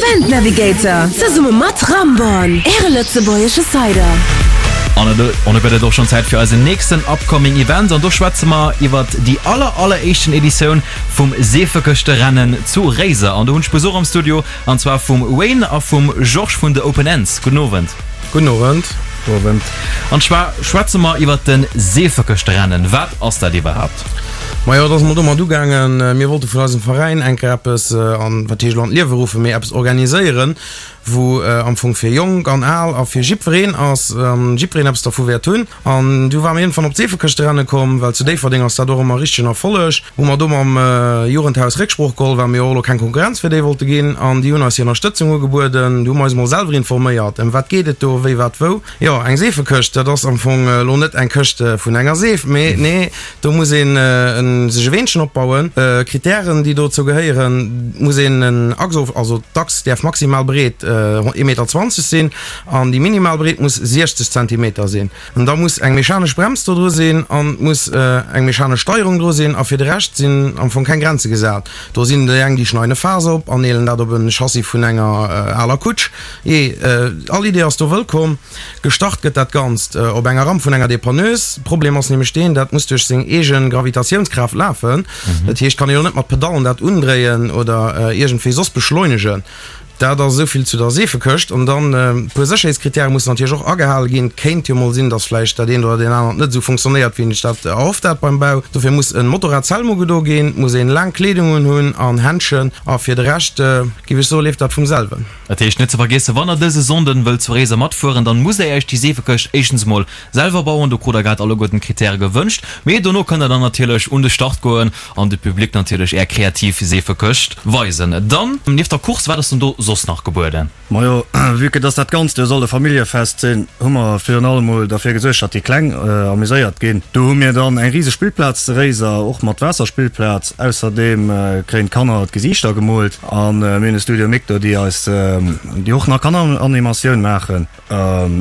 Event Navigator zesumme mat Ramborn, Äre lëtzebuergesche Cider. An elo gëtt et och schonn Zäit fir eisen nächsten upcoming Event an do schwätze mer iwwert déi aller alleréischten Editioun vum Seefekëschterennen zu Réiser. An do hunn ech Besuch am Studio an zwar vum Wayne a vum Georges vun de Open Ends. Gudden Owend. Gudden Owend. Owend. An zwar schwätze mer iwwert de Seefekëschterennen. Wat ass dat iwwerhaapt? Majo, et ass mol domat ugaangen, mir wollte vun eisem Veräin eng Kéier eppes an, wat heescht elo an d'Liewe ruffen, mee eppes organiséieren, wou am Fong fir Jonk an Al a fir jiddwereen ass, an jiddwereen eppes dervu wäert hunn. An du ware mir iergendwann op d'Seefekëschterenne komm, well zu Déifferdeng ass dat och ëmmer e richtegen Erfolleg. Hu mer do mam Jugendhaus Récksprooch geholl, well mir jo och elo keng Konkurrenz fir déi wollte ginn, an déi hunn eis hir Ënnerstëtzung ugebueden. Du hu mer eis mol selwer informéiert, ëm wat geet et do, wéi, wat, wou. Jo, eng Seefekëscht, dat ass am Fong elo net eng Këscht vun enger Seef, mee nee, Do muss een sech e Weenchen opbauen. Kritären, déi dozou gehéieren, muss een en Achs, also d'Achs däerf maximal breet 1,20 Meter sinn an déi minimal Breet muss 60 Zentimeter sinn. An da muss eng mechanesch Brems do dru sinn an et muss eng mechanesch Steierung dru sinn a fir de Rescht sinn am Fong keng Grenze gesat. Do sinn déi eng, déi schneiden e Faass op an neelen dat op e Chassis vun enger aler Kutsch. Jee, all Idee ass do wëllkomm. Gestart gëtt dat Ganzt op enger Ramp vun enger Depanneuse. Problem ass nämlech deen, dat muss duerch seng eege Gravitatiounskraaft lafen. Dat heescht, kann ee jo net mat Pedallen dat undréien oder iergendwéi soss beschleunegen. Dat ass esou vill zu der Seefekëscht. An dann e puer Sécherheetskrittäre mussen natierlech och agehale ginn. Et kéint jo mol sinn, datt vläicht dat eent oder deen anert net esou funktionéiert, wéi een sech dat erhofft hat beim Bau. Dofir muss e Motorradshelm ugedo ginn, et muss een laang Kleedung unhunn an Händschen. A fir de Rescht, géif ech soen, leeft dat vum selwen. Dat heescht, net ze vergiessen, wann der dëse Sonnden wëllt zu Réiser matfueren, dann musst der Iech déi Seefekëscht éischtens mol selwer bauen, do krut der grad alleguerten d'Kritäre gewënscht, mee dono kënnt der dann natierlech un de Start goen an de Public natierlech är kreativ Seefekëscht weisen. Dann, nieft der Course, wat ass denn do soss nach gebueden? Majo, vue que dass dat Ganzt jo soll e Familljefest sinn, hu mer virun allem mol derfir gesuergt, datt déi Kleng amuséiert ginn. Do hu mir dann eng riseg Spillplaz zu Réiser, och mat Waasserspillplaz. Ausserdeem kréien d'Kanner d'Gesiichter gemoolt. A mir hunn e Studio Mic do, déi eis, déi och nach Kanneranimatioun maachen.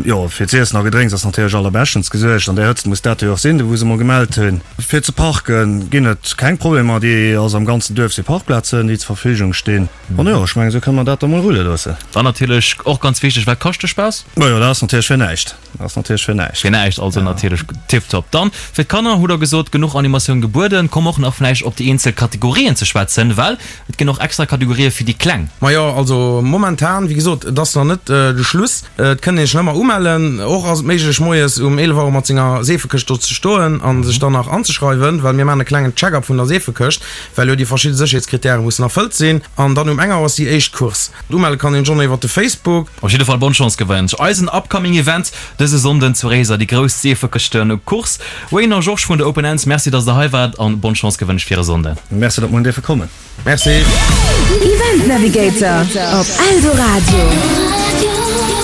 Jo, fir z'iessen a Gedrénks ass natierlech allerbeschtens gesuergt. An där Hëtzt muss dat jo och sinn, do wou se mol gemellt hunn. Fir ze parke ginn et keng Problemer, déi ass am ganzen Duerf si Parkplazen, déi zur Verfügung stinn. An jo, ech mengen, esou kënne mer dat da mol rulle loossen. Dann natierlech och ganz wichteg, Wat kascht de Spaass? Majo, dat ass natierlech fir näischt. Dat ass natierlech fir näischt. Fir näischt, also natierlech tiptop. Dann fir d'Kanner hutt Der gesot, genuch Animatioun gebueden. Komm och nach vläicht op déi eenzel Kategorien ze schwätzen, well Et ginn och extra Kategorië fir déi Kleng. Majo, also momentan, wéi gesot, et ass nach net de Schluss. Et kënnt een sech nach ëmmer umellen. Och ass et méiglech, moies um 11 Auer mat senger Seefekëscht do ze stoen a sech dann nach anzeschreiwen, well mir maachen e klengen Check-up vun der Seefekëscht, well jo déi verschidde Sécherheetskrittäre mussen erfëllt sinn. An dann um eng Auer ass déi éischt Course. Umelle kann een schonn iwwer de Facebook. Op jidde Fall bonne Chance gewënscht. Eisen upcoming Event dëse Sonnden zu Réiser, déi grouss Seefekëschte-Course. Wayne a Georges vun de Open Ends, Merci dass der hei waart an bonne Chance gewënscht fir e Sonnden. Merci dat mer hunn dierfe kommen. Merci. Event Navigator op Eldoradio.